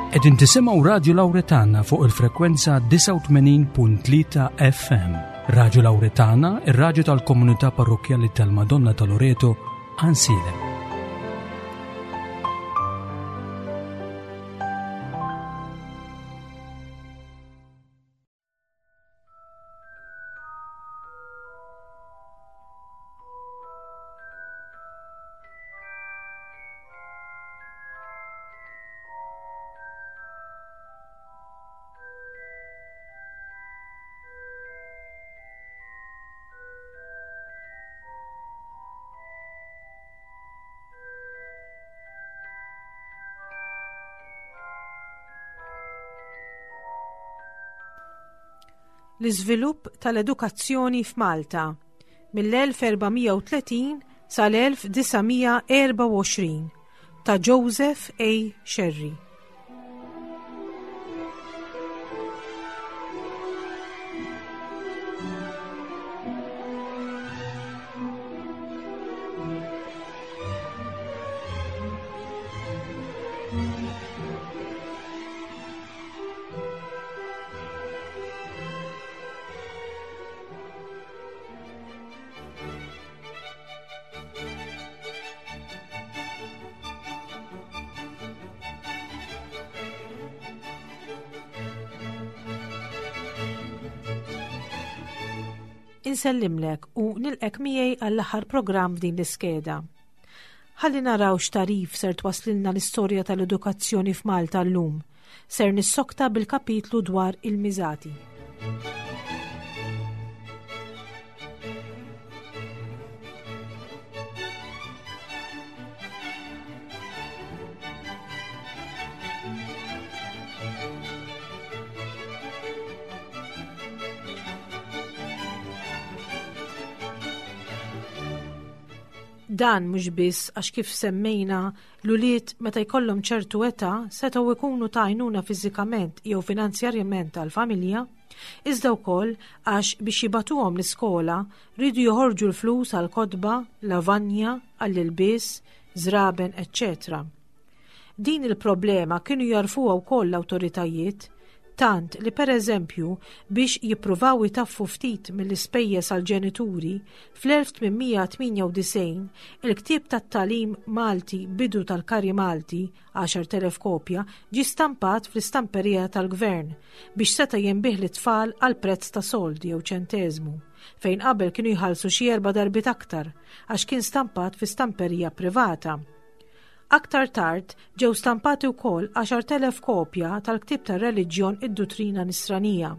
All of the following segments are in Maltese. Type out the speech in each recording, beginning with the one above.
Qegħdin tisimgħu Radju Lawretana fuq il-frekwenza 89.3 FM. Radju Lawretana, ir-radju tal-komunità parrokkjali tal-Madonna ta' Loreto, Ansilem. L-iżvilupp tal-edukazzjoni f'Malta mill-1430 sal-1924 ta' Joseph A. Scerri. Insellimlek u nilqek miegħi għall-aħħar programm f'din l-iskeda. Ħalli naraw x'tarif ser twaslilna l-istorja tal-edukazzjoni f'Malta llum. Ser nissokta bil-kapitlu dwar il-miżati. Dan mhux biss għax kif semmejna l-ulied meta jkollhom ċertu età setgħu jkunu ta' għajnuna fiżikament jew finanzjarjament għall-familja, iżda wkoll għax biex jibagħtuhom l-iskola riedu joħorġu l-flus għal kotba, lavanja, għall-ilbies, żraben, eċċetera. Din il-problema kienu jagħrfuha wkoll l-awtoritajiet, tant li pereżempju biex jippruvaw itaffu ftit mill-ispejjeż għall-ġenituri, fl-1898 il-ktieb tat-tagħlim Malti Bidu tal-Kari Malti, 10,000 kopja, ġie stampat fl-istamperija tal-Gvern biex seta' jinbiegħ lit-tfal għal prezz ta' sold jew ċenteżmu, fejn qabel kienu jħallsu xi erba' darbiet aktar għax kien stampat fi stamperija privata. Aktar tard ġew stampati wkoll 10,000 kopja tal-ktieb tar-reliġjon Id-Duttrina Nisranija.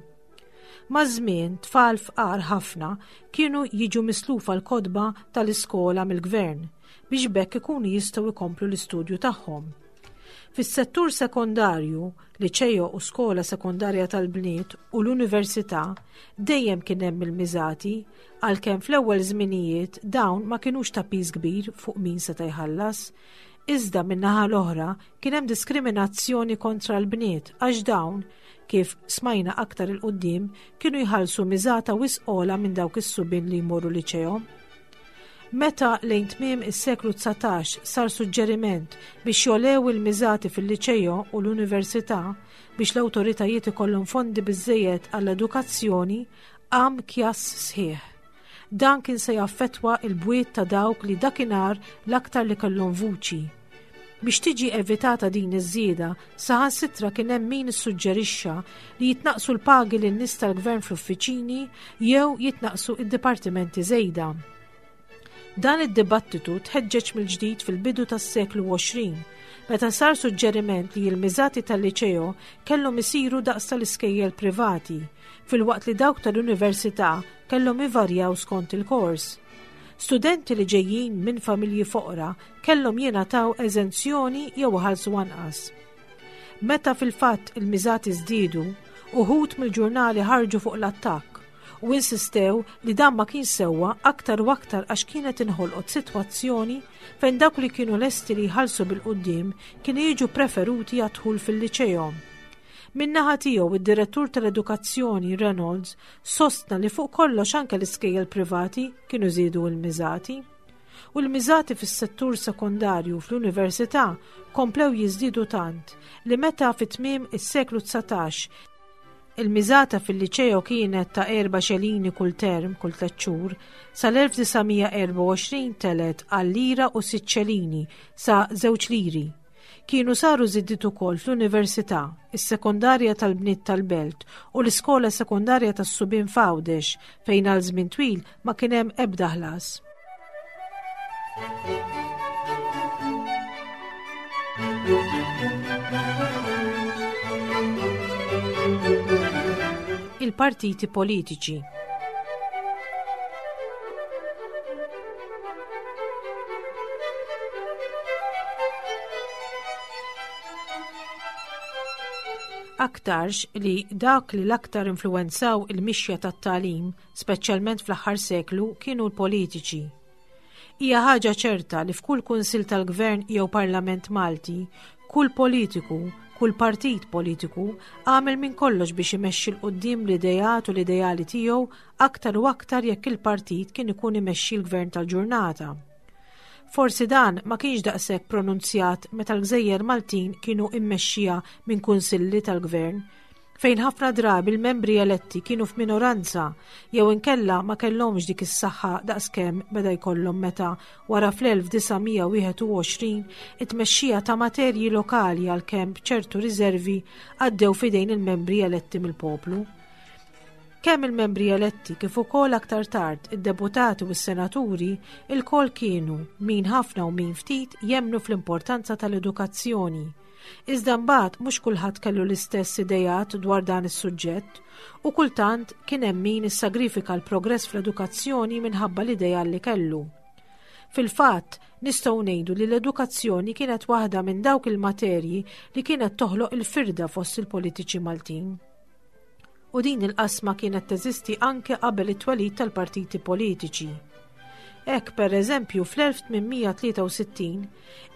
Maż-żmien, tfal fqar ħafna kienu jiġu mislufa l-kotba tal-iskola mill-gvern biex b'hekk ikunu jistgħu jkomplu l-istudju tagħhom. Fis-settur sekondarju, liċeo u skola sekondarja tal-bniet u l-università dejjem kien hemm il-miżati għalkemm fl-ewwel żminijiet dawn ma kinux ta' piż kbir fuq min seta' jħallas. Iżda min-naħa l-oħra kien hemm diskriminazzjoni kontra l-bniet għax dawn, kif smajna aktar 'il quddiem, kienu jħallsu miżata wisq ogħla minn dawk is-subien li jmorru liċeo. Meta lejn tmiem is-seklu 19 sar suġġeriment biex jogħlew il-miżati fil-liċeo u l-università biex l-awtoritajiet ikollhom fondi biżżejjed għall-edukazzjoni, qam kjass sħiħ. Dan kien se jaffettwa l-bwiet ta' dawk li dakinhar l-aktar li kellhom vuċi. Biex tiġi evitata din iż-żieda, saħansitra kien hemm min issuġġerixxa li jitnaqqsu l-pagi lin-nies tal-gvern fl-uffiċini jew jitnaqqsu id-dipartimenti żejda. Dan id-dibattitu tħeġġeġ mill-ġdid fil-bidu tas-seklu 20, meta sar suġġeriment li l-miżati tal-liċeo kellhom isiru daqs tal-iskejjel privati, filwaqt li dawk tal-università kellhom ivarjaw skont il-kors. Studenti li ġejjin minn familji foqra kellhom jingħataw eżenzjoni jew iħallsu anqas. Meta fil-fatt il-miżati żdiedu, uħud mill-ġurnali ħarġu fuq l-attakk u insistew li dan ma kienx sewwa aktar u aktar għax kienet inħolqot sitwazzjoni fejn dawk li kienu lesti li jħallsu bil-quddiem kienu jiġu preferuti għad-dħul fil-liċeo. Min-naħa tiegħu id-Direttur tal-Edukazzjoni Reynolds sostna li fuq kollox anke l-iskejjel privati kienu żiedu l-miżati. U l-miżati fis-settur sekondarju fl-università komplew jiżdiedu tant li meta fi tmiem is-seklu 19 il-miżata fil-liċeo kienet ta' erba' xelini kull term kull tliet xhur, sal-1924 telgħet għal lira u sitt xelini sa żewġ liri. Kienu saru żidiet ukoll fl-Università, is-Sekondarja tal-Bniet tal-Belt u l-Iskola Sekondarja tas-Subien f'Għawdex fejn għal żmien twil ma kien hemm ebda ħlas. Il-partiti politiċi. Aktarx li dak li l-aktar influwenzaw il-mixja tat-tagħlim, speċjalment fl-aħħar seklu, kienu l-politiċi. Hija ħaġa ċerta li f'kull kunsill tal-gvern jew parlament Malti, kull politiku, kull partit politiku, għamel minn kollox biex imexxi 'l quddiem l-ideat u l-ideali tiegħu aktar u aktar jekk il-partit kien ikun imexxi l-gvern tal-ġurnata. Forsi dan ma kienx daqshekk pronunzjat meta l-gżejjer Maltin kienu immexxija minn kunsilli tal-gvern, fejn ħafna drabi l-membri eletti kienu f'minoranza jew inkella ma kellhomx dik is-saħħa daqskemm beda jkollhom meta wara fl-1921 it-tmexxija ta' materji lokali għalkemm b'ċertu riservi għaddew f'idejn il-membri eletti mill-poplu. Kemm il-membri eletti kif ukoll aktar tard id-deputati u s-senaturi ilkoll kienu, min ħafna u min ftit, jemmnu fl-importanza tal-edukazzjoni. Iżda mbagħad mhux kulħadd kellu l-istess ideat dwar dan is-suġġett u kultant kien hemm min issagrifika l-progress fl-edukazzjoni minħabba l-ideal li kellu. Fil-fatt, nistgħu ngħidu li l-edukazzjoni kienet waħda minn dawk il-materji li kienet toħloq il-firda fost il-politiċi Maltin. U din il-qasma kienet teżisti anke qabel it-twelid tal-partiti politiċi. Hekk per eżempju fl-1863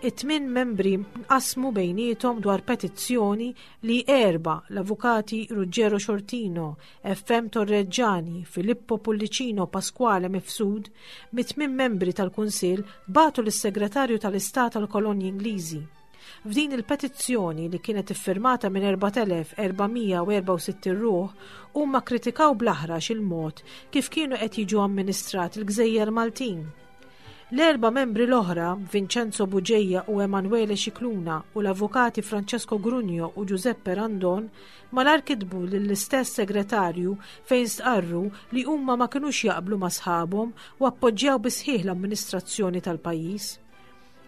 it-tmien membri nqasmu bejniethom dwar petizzjoni li erba' l-avukati Ruggero Sciortino, FM Torreggiani, Filippo Pullicino Pasquale Mifsud mit-tmien membri tal-Kunsill bagħtu lis-Segretarju tal-Istat għall-Kolonji Ingliżi. F'din il-petizzjoni li kienet iffirmata minn 4,464 ruħ, huma kkritikaw bl-aħrax il-mod kif kienu qed jiġu amministrati l-gżejjer Maltin. L-erba' membri l-oħra, Vincenzo Bugeja u Emanuele Scicluna u l-avukati Francesco Grugno u Giuseppe Randon, malajr kitbu lill-istess segretarju fejn stqarru li huma ma kinux jaqblu ma' sħabhom u appoġġjaw bis-sħiħ l-amministrazzjoni tal-pajjiż.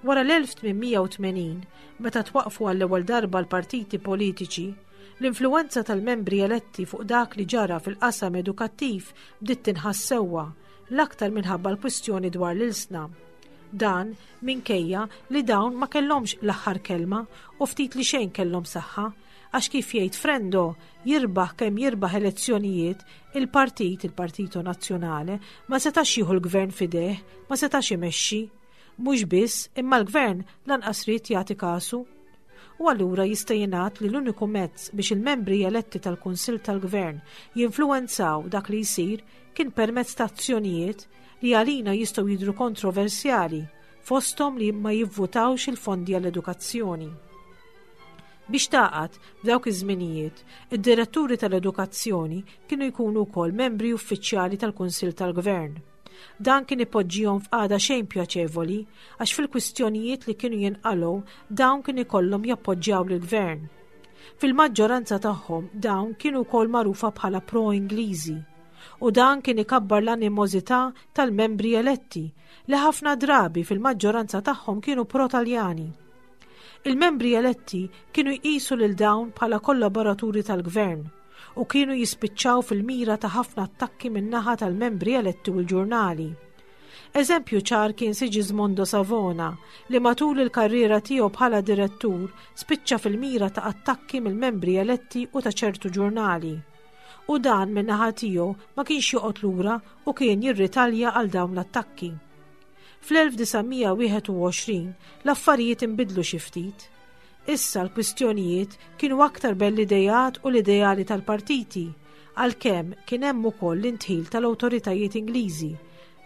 Wara l-1880, meta twaqqfu għall-ewwel darba l-partiti politiċi, l-influwenza tal-membri eletti fuq dak li ġara fil-qasam edukattiv bdiet tinħass sewwa, l-aktar minħabba l-kwistjoni dwar l-ilsna. Dan minkejja li dawn ma kellhomx l-aħħar kelma u ftit li xejn kellhom saħħa, għax kif jgħid Frendo, jirbaħ kemm jirbaħ elezzjonijiet, il-partit, il-Partito Nazzjonale, ma setax jieħu l-gvern f'idejh, ma setax imexxi. Mhux biss, imma l-Gvern lanqas ried jagħti kasu. U allura jista' jingħad li l-uniku mezz biex il-membri eletti tal-Kunsill tal-Gvern jinfluwenzaw dak li jsir kien permezz ta' azzjonijiet li għalina jistgħu jidhru kontroversjali, fosthom li ma jivvutawx il-fondi għall-edukazzjoni. Biex tagħqad, f'dawk iż-żminijiet, id-diretturi tal-edukazzjoni kienu jkunu wkoll membri uffiċjali tal-Kunsill tal-Gvern. Dan kien ipoġġihom f'qagħda xejn pjaċevoli għax fil-kwistjonijiet li kienu jinqalgħu dawn kien ikollhom jappoġġjaw lill-gvern. Fil-maġġoranza tagħhom dawn kienu wkoll magħrufa bħala pro-Ingliżi u dan kien ikabbar l-animożità tal-membri eletti li ħafna drabi fil-maġġoranza tagħhom kienu pro-Taljani. Il-membri eletti kienu jqisu lil dawn bħala kollaboraturi tal-gvern u kienu jispiċċaw fil-mira ta' ħafna attakki min-naħa tal-membri eletti u l-ġurnali. Eżempju ċar kien Sigismondo Savona li matul il-karriera tiegħu bħala direttur spiċċa fil-mira ta' attakki mill-membri eletti u ta' ċertu ġurnali. U dan min-naħa tiegħu ma kienx joqgħod lura u kien jirritalja għal dawn l-attakki. Fl-1921 l-affarijiet inbidlu xi ftit. Issa l-kwistjonijiet kienu aktar bejn l-ideat u l-ideali tal-partiti, għalkemm kien hemm ukoll l-indħil tal-awtoritajiet Ingliżi.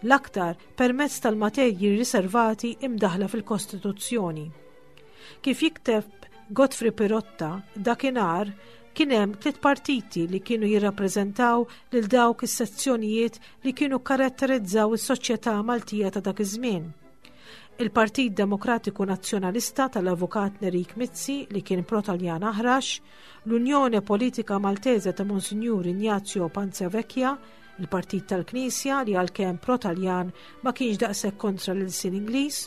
l-aktar permezz tal-materji riservati imdaħla fil-Kostituzzjoni. Kif jikteb Godfrey Pirotta, dakinhar kien hemm tliet partiti li kienu jirrappreżentaw lil dawk is-sezzjonijiet li kienu karatterizzaw is-soċjetà Maltija ta' dak iż-żmien. Il-Partit Demokratiku Nazzjonalista tal-Avukat Nerik Mizzi li kien pro-Taljan aħrax, l-Unjone Politika Maltese ta' Monsinjur Ignazio Panzavecchia, il-Partit tal-Knisja li għalkemm pro-Taljan ma kienx daqshekk kontra l-ilsien Ingliż,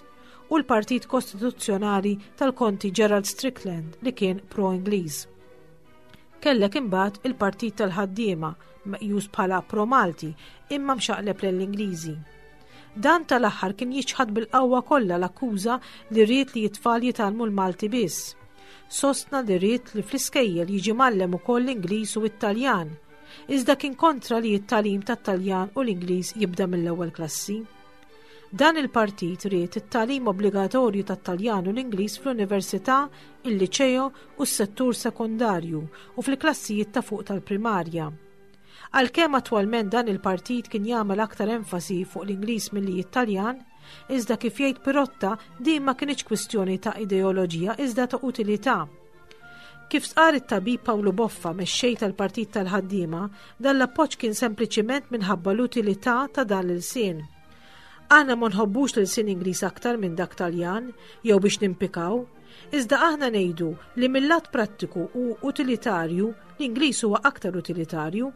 u l-Partit Kostituzzjonali tal-Konti Gerald Strickland li kien pro-Ingliż. Kellek imbagħad il-Partit tal-Ħaddiema meqjus bħala pro-Malti imma mxaqleb lejn l-Ingliżi. Dan tal-aħħar kien jiċħad bil-qawwa kollha l-akkuża li ried li t-tfal jitgħallmu l-Malti biss. Sostna li ried li fl-iskejjel jiġi mgħallem ukoll l-Ingliż u t-Taljan. Iżda kien kontra li t-tagħlim tat-Taljan u l-Ingliż jibda mill-ewwel klassi. Dan il-partit ried it-tagħlim obbligatorju tat-Taljan u l-Ingliż fl-università, il-liċeo u s-settur sekondarju u fil-klassijiet ta' fuq tal-primarja. Għalkemm attwalment dan il-partit kien jagħmel aktar enfasi fuq l-Ingliż milli it-Taljan, iżda kif jgħid Pirotta din ma kinitx kwistjoni ta' ideoloġija iżda ta' utilità. Kif stqarr it-tabib Pawlu Boffa, mexxej tal-Partit tal-Ħaddiema, dan l-appoġġ kien sempliċiment minħabba l-utilità ta' dan l-ilsien. Aħna ma nħobbux l-ilsien Ingliż aktar minn dak Taljan jew biex nimpikaw, iżda aħna ngħidu li mill-lat prattiku u utilitarju l-Ingliż huwa aktar utilitarju.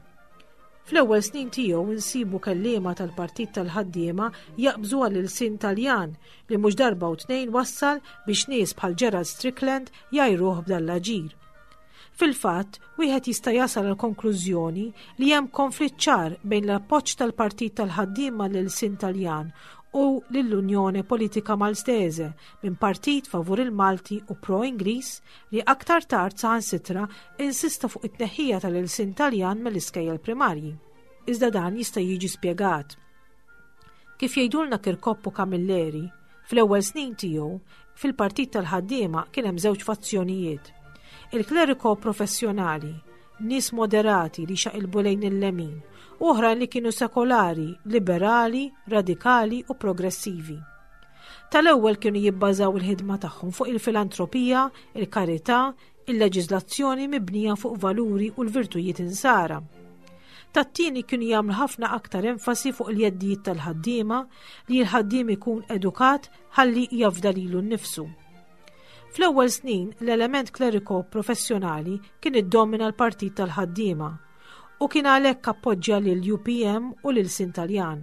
Fl-ewwel snin tiegħu nsibu kelliema tal-Partit tal-Ħaddiema jaqbżu għall-ilsien Taljan li mhux darba u tnejn wassal biex nies bħal Gerald Strickland jgħajruh b'dan l-aġir. Fil-fatt, wieħed jista' jasal għal konklużjoni li hemm konflitt ċar bejn l-appoġġ tal-Partit tal-Ħaddiema lill-ilsien Taljan u lill-Unjone Politika Maltese minn partit favur il-Malti u pro-Ingliż li aktar tard saħansitra insista fuq it-tneħħija tal-ilsien Taljan mill-iskejjel primarji. Iżda dan jista' jiġi spjegat. Kif jgħidulna Kirkop u Camilleri, fl-ewwel snin tiegħu, fil-Partit tal-Ħaddiema kien hemm żewġ fazzjonijiet. Il-kleriko professjonali, nies moderati li xaqilbu lejn il-lemin, u oħrajn li kienu sekolari, liberali, radikali u progressivi. Tal-ewwel kienu jibbażaw il-ħidma tagħhom fuq il-filantropija, il-karità, il-leġiżlazzjoni mibnija fuq valuri u l-virtujiet insara. Tat-tieni kienu jagħmlu ħafna aktar enfasi fuq il-jeddijiet tal-ħaddiema li l-ħaddiem ikun edukat ħalli jafda lilu nnifsu. Fl-ewwel snin, l-element kleriko professjonali kien iddomina l-partit tal-ħaddiema u kien għalhekk appoġġja lil UPM u lil Sintaljan.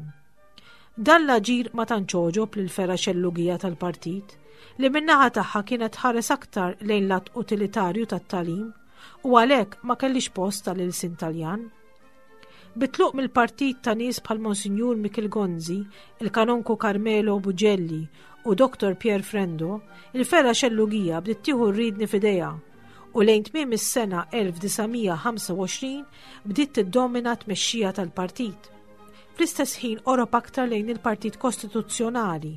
Dan l-aġir ma tantx għoġob lill-fergħa xellugija tal-partit, li min-naħa tagħha kienet tħares aktar lejn l-att utilitarju tat-tagħlim u għalhekk ma kellhiex post għall-ilsien Taljan. Bit-tluq mill-partit ta' nies bħal Monsinjur Mikiel Gonzi, il-Kanonku Carmelo Bugelli u Dr. Pier Frendo, il-fergħa xellugija bdiet tieħu r-riedni f'idejha u lejn tmiem is-sena 1925 bdiet tiddomina t-tmexxija tal-partit. Fl-istess ħin qorob aktar lejn il-Partit Kostituzzjonali,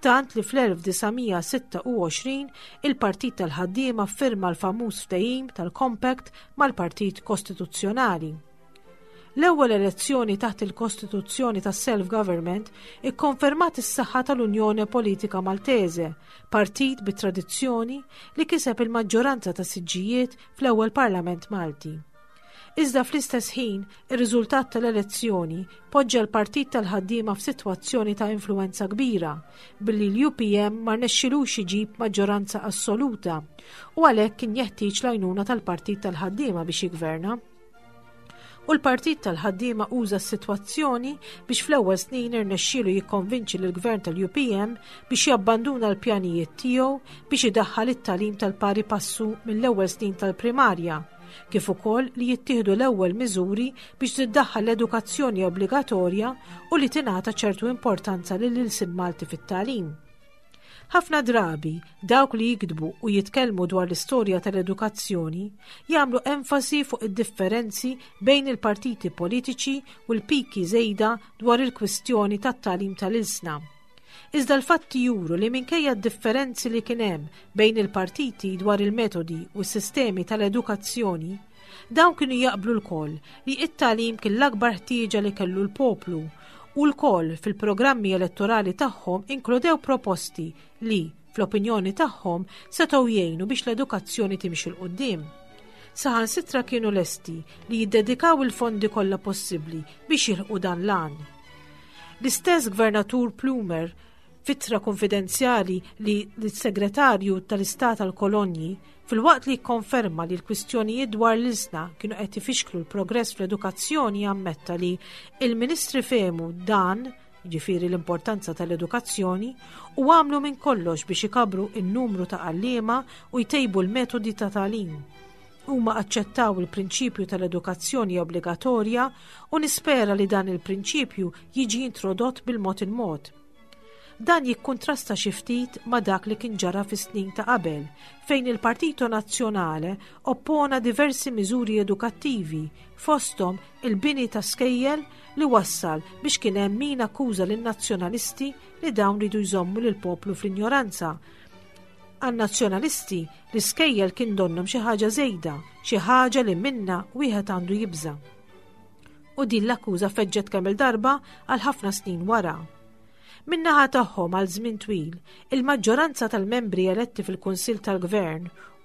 tant li fl-1926 il-Partit tal-Ħaddiema ffirma l-famuż ftehim tal-Compact mal-Partit Kostituzzjonali. L-ewwel elezzjoni taħt il-Kostituzzjoni tas-Self-Government ikkonfermat is-saħħa tal-Unjone Politika Maltese, partit bi tradizzjoni li kiseb il-maġġoranza ta' siġġijiet fl-ewwel Parlament Malti. Iżda fl-istess ħin, ir-riżultat tal-elezzjoni poġġa l-Partit tal-Ħaddiema f'sitwazzjoni ta' influwenza kbira, billi l-UPM ma rnexxilux iġib maġġoranza assoluta u għalhekk kien jeħtieġ l-għajnuna tal-Partit tal-Ħaddiema biex jiggverna. U l-Partit tal-Ħaddiema uża s-sitwazzjoni biex fl-ewwel snin irnexxielu jikkonvinċi lill-Gvern tal-UPM biex jabbanduna l-pjanijiet tiegħu biex idaħħal it-tagħlim tal-pari passu mill-ewwel snin tal-primarja, kif ukoll li jittieħdu l-ewwel miżuri biex tiddaħħal l-edukazzjoni obbligatorja u li tingħata ċertu importanza lill-ilsien Malti fit-tagħlim. Ħafna drabi, dawk li jiktbu u jitkellmu dwar l-istorja tal-edukazzjoni jagħmlu enfasi fuq id-differenzi bejn il-partiti politiċi u l-piki żejda dwar il-kwistjoni tat-tagħlim tal-ilsna. Iżda l-fatti juru li minkejja d-differenzi li kien hemm bejn il-partiti dwar il-metodi u s-sistemi tal-edukazzjoni, dawn kienu jaqblu lkoll li t-tagħlim kien l-akbar ħtieġa li kellu l-poplu U lkoll fil-programmi elettorali tagħhom inkludew proposti li, fl-opinjoni tagħhom, setgħu jgħinu biex l-edukazzjoni timxi 'l quddiem. Saħansitra kienu lesti li jiddedikaw il-fondi kollha possibbli biex jilħqu dan l-għan. L-istess Gvernatur Plumer f'ittra kunfidenzjali li lis-Segretarju tal-Istat għall-Kolonji, filwaqt li kkonferma li l-kwistjonijiet dwar l-ilsna kienu qed ifixklu l-progress fl-edukazzjoni ammetta li il-Ministri fehmu dan, jiġifieri l-importanza tal-edukazzjoni, u għamlu minn kollox biex ikabbru n-numru ta' għalliema u jtejbu l-metodi ta' tagħlim. Huma aċċettaw il-prinċipju tal-edukazzjoni obbligatorja u nispera li dan il-prinċipju jiġi introdott bil-mod il-mod. Dan jikkuntrasta xi ftit ma' dak li kien ġara fis-snin ta' qabel, fejn il-Partito Nazzjonale oppona diversi miżuri edukattivi, fosthom il-bini ta' skejjel li wassal biex kien hemm min akkuża lin-Nazzjonalisti li dawn ridu jżommu lill-poplu fl-injoranza. Għan-Nazzjonalisti, l-iskejjel kien donnhom xi ħaġa żejda, xi ħaġa li minnha wieħed għandu jibża'. U din l-akkuża feġġet kemm-il darba għal ħafna snin wara. Min-naħa tagħhom għal żmien twil, il-maġġoranza tal-membri eletti fil-Kunsill tal-Gvern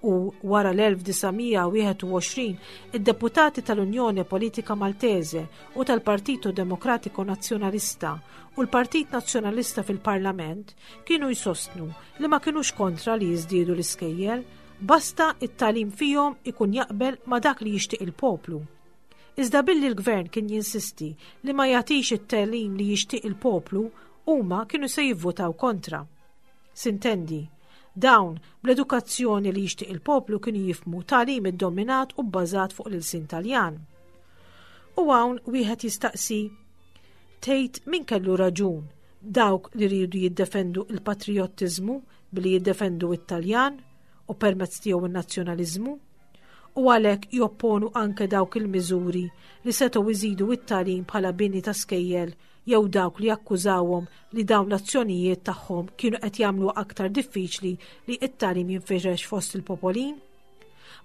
u, wara l-1921, id-deputati tal-Unione Politica Maltese u tal-Partito Democratico Nazzjonalista u l-Partit Nazzjonalista fil-Parlament kienu jsostnu li ma kinux kontra li jiżdiedu l-iskejjel, basta t-tagħlim fihom ikun jaqbel ma' dak li jixtieq il-poplu. Iżda billi l-Gvern kien jinsisti li ma jagħtix it-tagħlim li jixtieq il-poplu, huma kienu se jivvutaw kontra. Sintendi, dawn bl-edukazzjoni li jixtieq il-poplu kienu jifhmu tagħlim iddominat u bbażat fuq l-ilsien Taljan. U hawn wieħed jistaqsi, tgħid min kellu raġun, dawk li riedu jiddefendu l-patrijottiżmu billi jiddefendu t-Taljan u permezz tiegħu n-nazzjonaliżmu? u għalhekk jopponu anke dawk il-miżuri li setgħu jżidu t-tagħlim bħala bini ta' skejjel jew dawk li akkużawhom li dawn l-azzjonijiet tagħhom kienu qed jagħmluha aktar diffiċli li t-tagħlim jinfirex fost il-popolin?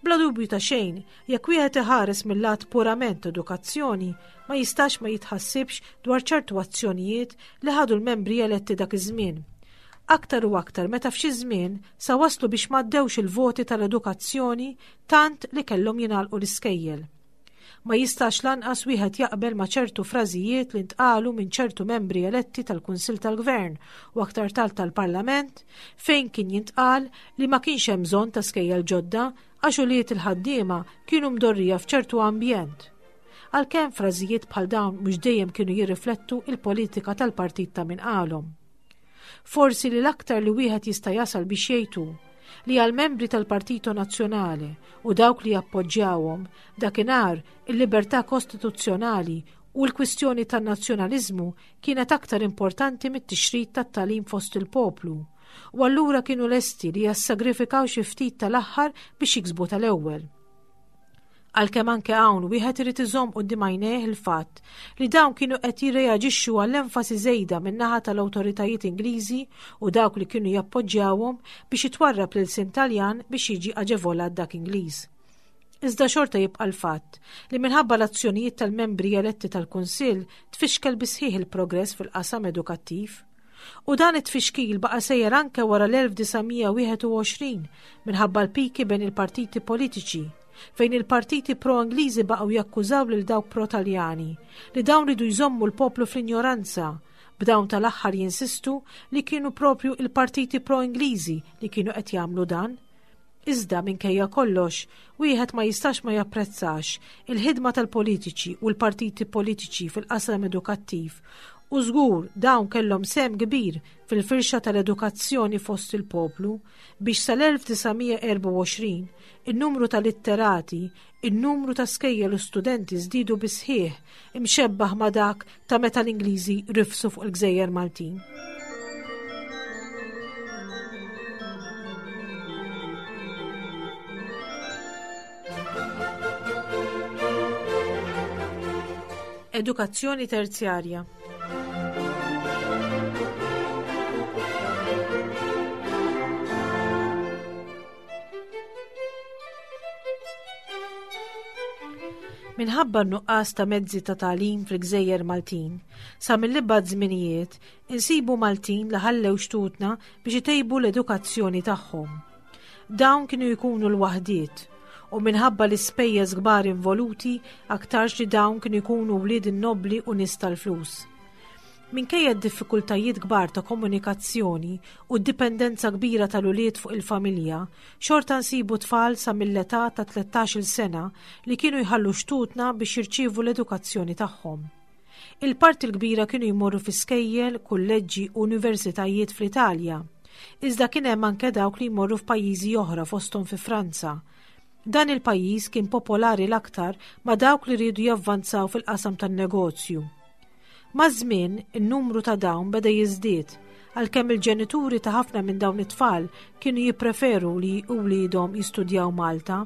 Bla dubju ta' xejn, jekk wieħed iħares mill-lat purament edukazzjoni, ma jistax ma jitħassibx dwar ċertu azzjonijiet li ħadu l-membri eletti dak iż-żmien. Aktar u aktar meta f'xi żmien sa waslu biex m'għaddewx il-voti tal-edukazzjoni tant li kellhom jingħalqu l-iskejjel. Ma jistax lanqas wieħed jaqbel ma' ċertu frażijiet li ntqalu minn ċertu membri eletti tal-Kunsill tal-Gvern u aktar tard tal-Parlament fejn kien jintqal li ma kienx hemm bżonn ta' skejjel ġodda għax ulied il-ħaddiema kienu mdorrija f'ċertu ambjent. Għalkemm frażijiet bħal dawn mhux dejjem kienu jirriflettu il-politika tal-partit ta' min qalhom. Forsi li l-aktar li wieħed jista' jasal biex jgħid hu li għall-membri tal-Partito Nazzjonale u dawk li jappoġġjawhom dakinhar il-libertà kostituzzjonali u l-kwistjoni tan-nazzjonaliżmu kienet aktar importanti mit-tixrid tat-tagħlim fost il-poplu u allura kienu lesti li jassagrifikaw xi ftit tal-aħħar biex jiksbu tal-ewwel. Għalkemm anke hawn wieħed irid iżomm quddiem għajnejh il-fatt li dawn kienu qed jirreaġixxu għall-enfasi żejda min-naħa tal-awtoritajiet Ingliżi u dawk li kienu jappoġġjawhom biex jitwarrab l-ilsien Taljan biex jiġi aġevolat dak Ingliż. Iżda xorta jibqa' l-fatt li minħabba l-azzjonijiet tal-membri eletti tal-Kunsill tfixkel bis-sħiħ il-progress fil-qasam edukattiv. U dan it-tfixkil baqa' sejjer anke wara l-1921 minħabba l-piki bejn il-partiti politiċi, fejn il-partiti pro-Ingliżi baqgħu jakkużaw lil dawk pro-Taljani li dawn ridu jżommu l-poplu fl-injoranza, b'dawn tal-aħħar jinsistu li kienu propju il-partiti pro-Ingliżi li kienu qed jagħmlu dan. Iżda, minkejja kollox, wieħed ma jistax ma japprezzax il-ħidma tal-politiċi u l-partiti politiċi fil-qasam edukattiv u żgur dawn kellhom sehem kbir fil-firxa tal-edukazzjoni fost il-poplu biex sal-1924 in-numru ta' litterati, in-numru ta' skejjel u studenti żdiedu bis-sħiħ, imxebbah ma' dak ta' meta l-Ingliżi rifsu fuq il-gżejjer Maltin. Edukazzjoni terzjarja. Minħabba n-nuqqas ta' mezzi ta' tagħlim fil-gżejjer Maltin, sa mill-ibgħad żminijiet insibu Maltin li ħallew xtutna biex itejbu l-edukazzjoni tagħhom. Dawn kienu jkunu l-waħdiet u minħabba l-ispejjeż kbar involuti aktarx li dawn kienu jkunu wlied in-nobbli u nies tal-flus. Minkejja d-diffikultajiet kbar ta' komunikazzjoni u d-dipendenza kbira tal-ulied fuq il-familja, xorta nsibu tfal sa mill-età ta' 13-il sena li kienu jħallu xtutna biex jirċievu l-edukazzjoni tagħhom. Il-parti l-kbira kienu jmorru fi skejjel, kulleġġi u universitajiet fl-Italja. Iżda kien hemm anke dawk li jmorru f'pajjiżi oħra fosthom fi Franza. Dan il-pajjiż kien popolari l-aktar ma' dawk li riedu javvanzaw fil-qasam tan-negozju. Maż-żmien, in-numru ta' dawn beda jiżdied, għalkemm il-ġenituri ta' ħafna minn dawn it-tfal kienu jippreferu li wliedhom jistudjaw Malta.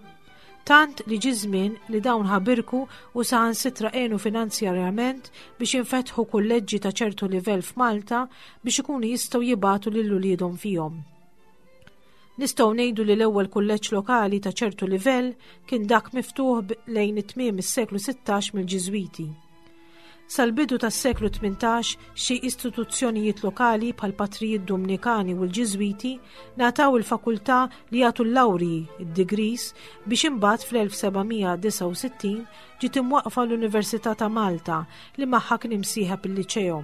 Tant li ġie żmien li dawn ħabirku u saħansitra għenu finanzjarjament biex jinfetħu kulleġġi ta' ċertu livell f'Malta biex ikunu jistgħu jibagħtu lil uliedhom fihom. Nistgħu ngħidu li l-ewwel kulleġġ lokali ta' ċertu livell kien dak miftuħ lejn it-tmiem is-seklu 16 mill-Ġiżwiti. Sal-bidu tas-seklu 18 xi istituzzjonijiet lokali bħal patrijiet Dumnikani u l-Ġiżwiti ngħataw il-fakultà li jagħtu l-lawrji, id-degrees, biex imbagħad fl-1769 ġiet imwaqqfa l-Università ta' Malta li magħha kien imsieħeb il-Liċeo.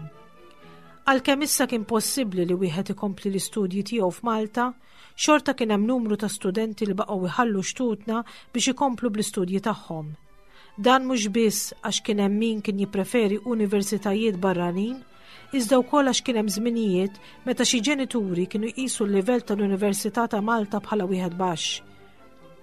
Għalkemm issa kien possibbli li wieħed ikompli l-istudji tiegħu f'Malta, xorta kien hemm numru ta' studenti li baqgħu jħallu xtutna biex ikomplu bl-istudji tagħhom. Dan mhux biss għax kien hemm min kien jippreferi universitajiet barranin, iżda wkoll għax kien hemm żminijiet meta xi ġenituri kienu jqisu l-livell tal-Università ta' Malta bħala wieħed baxx.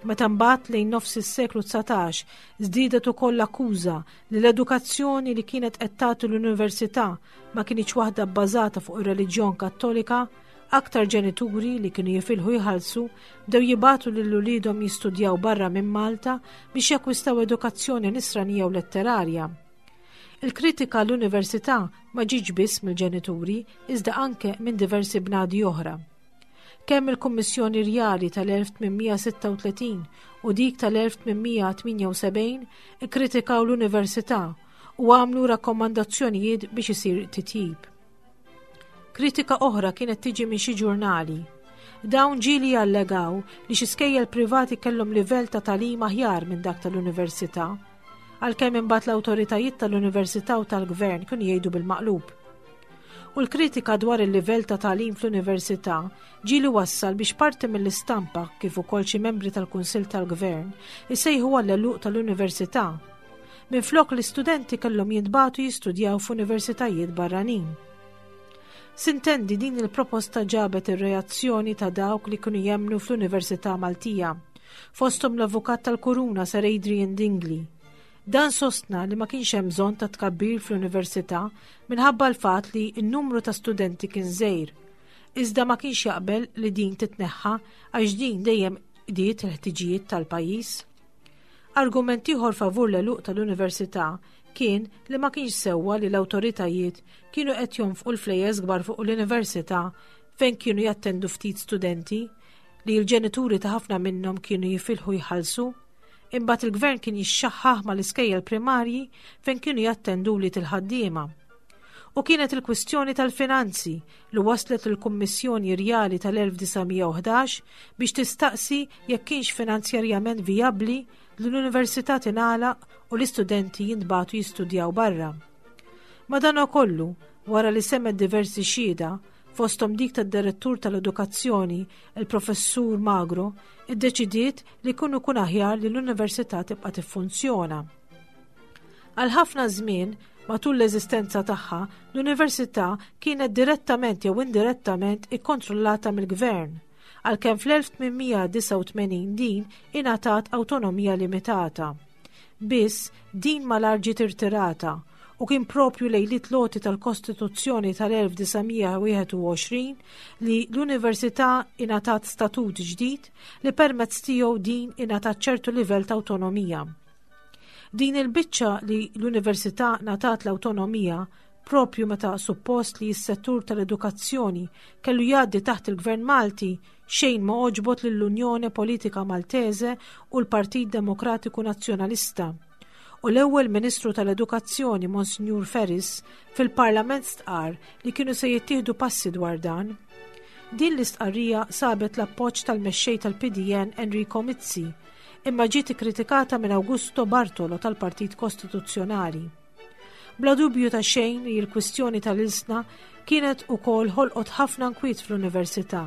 Meta mbagħad lejn nofs is-seklu 19 żdiedet ukoll l-akkuża li l-edukazzjoni li kienet qed tagħti l-università ma kinitx waħda bbażata fuq ir-reliġjon Kattolika, aktar ġenituri li kienu jifilħu jħallsu bdew jibagħtu lil uliedhom jistudjaw barra minn Malta biex jakkwistaw edukazzjoni nisranija u letterarja. Il-kritika l-università ma ġietx biss mill-ġenituri iżda anke minn diversi bnadi oħra. Kemm il-Kummissjoni Rjali tal-1836 u dik tal-1878 ikkritikaw l-Università u għamlu rakkomandazzjonijiet biex isir titjib. Kritika oħra kienet tiġi minn xi ġurnali. Dawn ġieli jallegaw li xi skejjel privati kellhom livell ta' tagħlim aħjar minn dak tal-università, għalkemm imbagħad l-awtoritajiet tal-università u tal-gvern kienu jgħidu bil-maqlub. U l-kritika dwar il-livell ta' tagħlim fl-università ġieli wassal biex parti mill-istampa kif ukoll xi membri tal-Kunsill tal-Gvern isejħu għall-għeluq tal-università. Minflok l-istudenti kellhom jintbagħtu jistudjaw f'universitajiet barranin. Sintendi din il-proposta ġabet ir-reazzjoni ta' dawk li kienu jemmnu fl-Università Maltija, fosthom l-Avukat tal-Kuruna Sir Adrian Dingli. Dan sostna li ma kienx hemm bżonn ta' tkabbir fl-università minħabba l-fatt li n-numru ta' studenti kien żgħir. Iżda ma kienx jaqbel li din titneħħa għax din dejjem qdiet il-ħtiġijiet tal-pajjiż. Argument ieħor favur l-għeluq tal-università kien li ma kienx sewwa li l-awtoritajiet kienu qed jonfqu l-flejjes kbar fuq l-università fejn kienu jattendu ftit studenti li l-ġenituri ta' ħafna minnhom kienu jifilħu jħallsu. Imbagħad il-gvern kien jixxaħħaħ mal-iskejjel primarji fejn kienu jattendu wlied il-ħaddiema. U kienet il-kwistjoni tal-finanzi li waslet il-Kummissjoni Rjali tal-1911 biex tistaqsi jekk kienx finanzjarjament vijabbli li l-università tingħalaq u l-istudenti jintbagħtu jistudjaw barra. Madanakollu, wara li semmet diversi xhieda, fosthom dik tad-Direttur tal-Edukazzjoni, il-Professur Magro, iddeċidiet li jkun ikun aħjar li l-Università tibqa' tiffunzjona. Għal ħafna żmien, matul l-eżistenza tagħha, l-Università kienet direttament jew indirettament ikkontrollata mill-Gvern, għalkemm fl-1889 din ingħatat awtonomija limitata. Biss, din malajr ġiet irtirata u kien proprju lejliet l-għoti tal-Kostituzzjoni tal-1921 li l-Università ingħatat statut ġdid li permezz tiegħu din ingħatat ċertu livell ta' awtonomija. Din il-biċċa li l-Università ngħatat l-awtonomija proprju meta suppost li s-settur tal-edukazzjoni kellu jgħaddi taħt il-Gvern Malti xejn ma għoġbot lill-Unjone Politika Maltese u l-Partit Demokratiku Nazzjonalista. U l-ewwel Ministru tal-Edukazzjoni Monsinjur Ferris fil-Parlament stqarr li kienu se jittieħdu passi dwar dan. Din l-istqarrija sabet l-appoġġ tal-mexxej tal-PDN Enrico Mizzi, imma ġiet ikkritikata minn Augusto Bartolo tal-Partit Kostituzzjonali. Bla dubju ta' xejn li l-kwistjoni tal-ilsna kienet ukoll ħolqot ħafna nkwiet fl-università,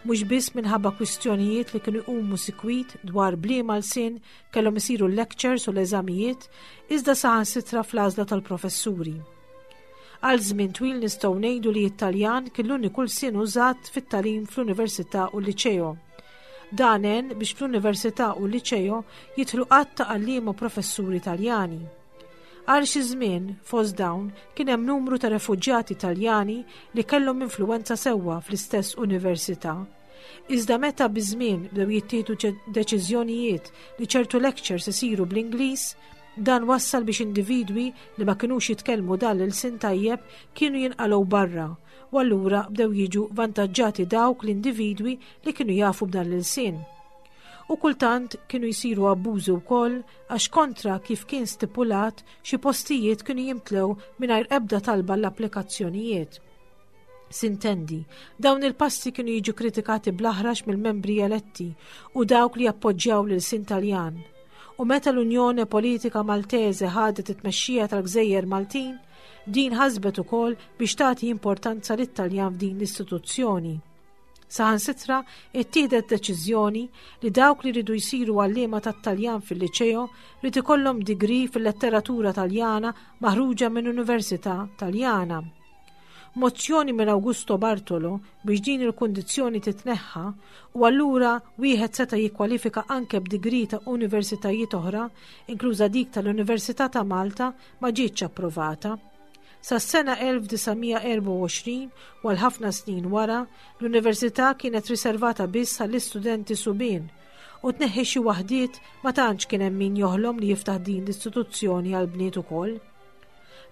mhux biss minħabba kwistjonijiet li kienu jqumu sikwit dwar bliema lsien kellhom isiru l-lectures u l-eżamijiet, iżda saħansitra fl-għażla tal-professuri. Għal żmien twil nistgħu ngħidu li t-Taljan kien l-uniku lsien użat fit-tagħlim fl-Università u l-Liċeo. Dan għen biex fl-Università u l-Liċeo jidħlu għadd ta' għalliema u professuri Taljani. Għal xi żmien, fost dawn, kien hemm numru ta' refuġjati Taljani li kellhom influwenza sewwa fl-istess università. Iżda meta biż-żmien bdew jittieħdu deċiżjonijiet li ċertu lectures isiru bl-Ingliż, dan wassal biex individwi li ma kinux jitkellmu dan l-ilsien tajjeb kienu jinqalgħu barra u allura bdew jiġu vantaġġati dawk l-individwi li kienu jafu b'dan l-ilsien. U kultant kienu jsiru abbużi wkoll għax kontra kif kien stipulat xi postijiet kienu jimtlew mingħajr ebda talba l-applikazzjonijiet. Sintendi, dawn il-passi kienu jiġu kritikati bl-aħrax mill-membri eletti u dawk li jappoġġjaw l-ilsien Taljan. U meta l-Unjone Politika Maltese ħadet it-tmexxija tal-Gżejjer Maltin, din ħasbet ukoll biex tagħti importanza lit-Taljan f'din l-istituzzjoni. Saħansitra ittieħdet deċiżjoni li dawk li ridu jsiru għalliema tat-Taljan fil-Liċeo rid ikollhom degree fil-letteratura Taljana maħruġa minn Università Taljana. Mozzjoni minn Augusto Bartolo biex din il-kundizzjoni titneħħa u allura wieħed seta' jikkwalifika anke b'degree ta' universitajiet oħra, inkluża dik tal-Università ta' Malta, ma ġietx approvata. Sas-sena 1924 u għal ħafna snin wara, l-università kienet riservata biss għall-istudenti subien u tneħħi xi waħdiet ma tantx kien hemm min joħlom li jiftaħ din l-istituzzjoni għal bniet ukoll.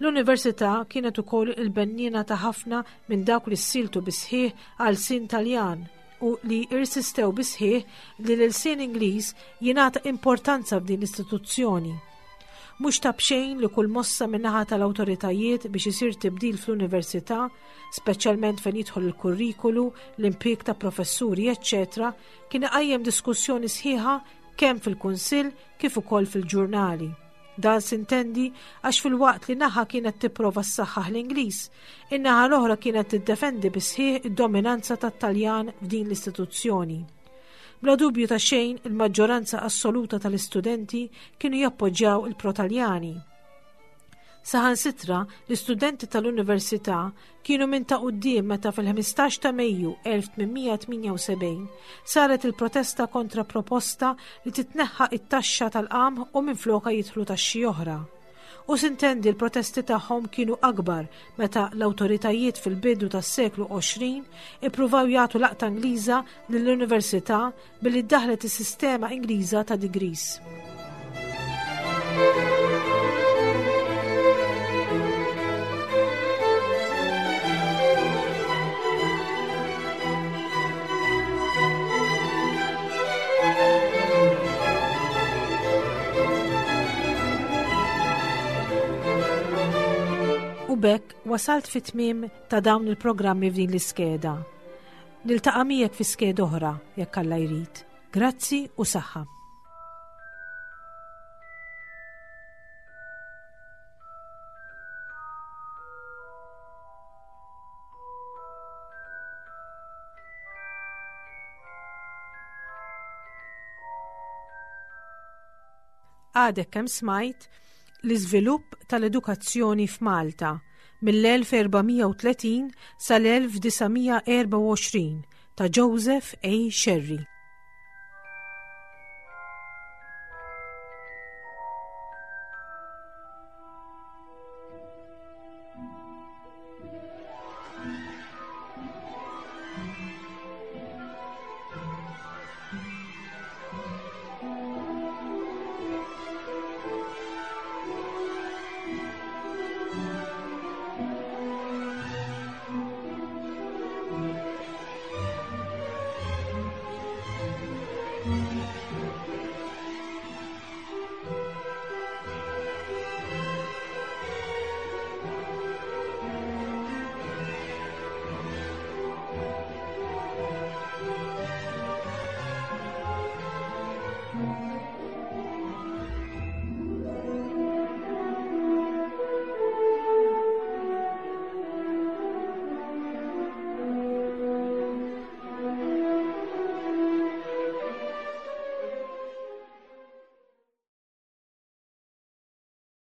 L-Università kienet ukoll il-benniena ta' ħafna minn dawk li ssiltu bis-sħiħ għal sin Taljan u li irsistew bis-sħiħ li l-ilsien Ingliż jingħata importanza f'din l-istituzzjoni. Mhux ta' b'xejn li kull mossa min-naħa tal-awtoritajiet biex isir tibdil fl-università, speċjalment fejn jidħol il-kurrikulu, l-impjieg ta' professuri, eċċetera, kien iqajjem diskussjoni sħiħa kemm fil-Kunsill kif ukoll fil-ġurnali. Dan sintendi għax filwaqt li naħa kienet tipprova ssaħħaħ l-Ingliż, in-naħa l-oħra kienet tiddefendi bis-sħiħ id-dominanza tat-Taljan f'din l-istituzzjoni. Bla dubju ta' xejn, il-maġġoranza assoluta tal-istudenti kienu jappoġġjaw il-Protaljani. Saħansitra, l-istudenti tal-Università kienu minn ta' quddiem meta fil-15 ta' Mejju 1878 saret il-protesta kontra proposta li titneħħa it-taxxa tal-qamħ u minflokha jidħlu taxxi oħra. U sintendi l-protesti tagħhom kienu akbar meta l-awtoritajiet fil-bidu tas-seklu 20 ippruvaw jagħtu laqta Ingliża lill-Università billi ddaħlet is-sistema Ingliża ta' degrees. U bekk wasalt fit-tmiem ta' dawn il-programmi f'din l-iskeda. Niltaqa' miegħek fi skeda oħra jekk Alla jrid. Grazzi u saħħa. Għadek kemm smajt l-iżvilupp tal-edukazzjoni f'Malta mill-1430 sal-1924 ta' Joseph A. Scerri.